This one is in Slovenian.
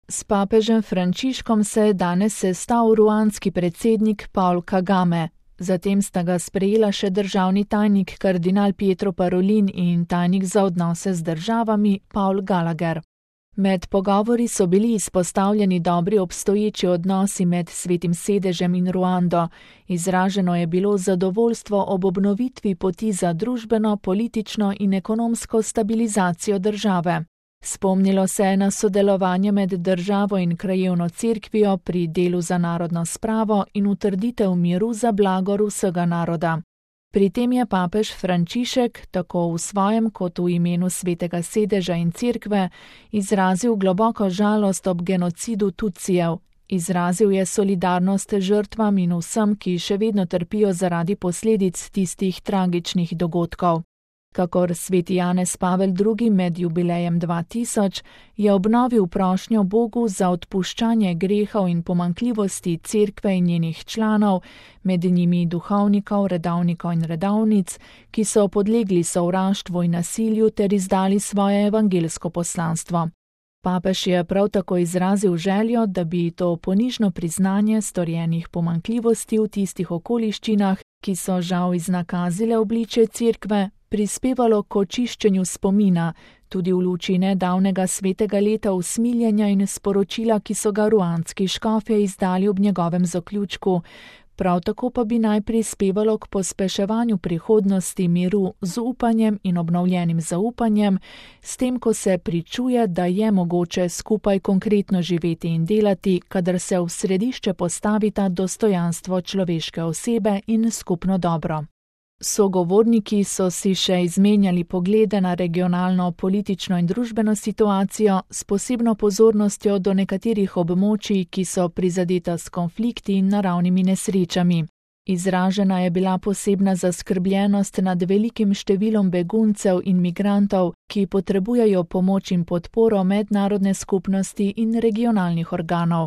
S papežem Frančiškom se je danes sestal ruandski predsednik Paul Kagame. Zatem sta ga sprejela še državni tajnik kardinal Pietro Parolin in tajnik za odnose z državami Paul Gallagher. Med pogovori so bili izpostavljeni dobri obstoječi odnosi med Svetim sedežem in Ruando. Izraženo je bilo zadovoljstvo ob obnovitvi poti za družbeno, politično in ekonomsko stabilizacijo države. Spomnilo se je na sodelovanje med državo in krajevno cerkvijo pri delu za narodno spravo in utrditev miru za blagor vsega naroda. Pri tem je papež Frančišek, tako v svojem kot v imenu Svetega sedeža in cerkve, izrazil globoko žalost ob genocidu Tutsijev. Izrazil je solidarnost žrtvam in vsem, ki še vedno trpijo zaradi posledic tistih tragičnih dogodkov. Kakor sveti Janez Pavel II. Med jubilejem 2000 je obnovil prošnjo Bogu za odpuščanje grehov in pomanjkljivosti cerkve in njenih članov, med njimi duhovnikov, redovnikov in redovnic, ki so podlegli sovraštvu in nasilju ter izdali svoje evangeljsko poslanstvo. Papež je prav tako izrazil željo, da bi to ponižno priznanje storjenih pomanjkljivosti v tistih okoliščinah, ki so žal iznakazile obličje cerkve, prispevalo k očiščenju spomina, tudi v luči nedavnega svetega leta usmiljenja in sporočila, ki so ga ruandski škofje izdali ob njegovem zaključku. Prav tako pa bi naj prispevalo k pospeševanju prihodnosti miru z upanjem in obnovljenim zaupanjem, s tem, ko se pričuje, da je mogoče skupaj konkretno živeti in delati, kadar se v središče postavita dostojanstvo človeške osebe in skupno dobro. Sogovorniki so si še izmenjali poglede na regionalno, politično in družbeno situacijo s posebno pozornostjo do nekaterih območij, ki so prizadeta s konflikti in naravnimi nesrečami. Izražena je bila posebna zaskrbljenost nad velikim številom beguncev in migrantov, ki potrebujejo pomoč in podporo mednarodne skupnosti in regionalnih organov.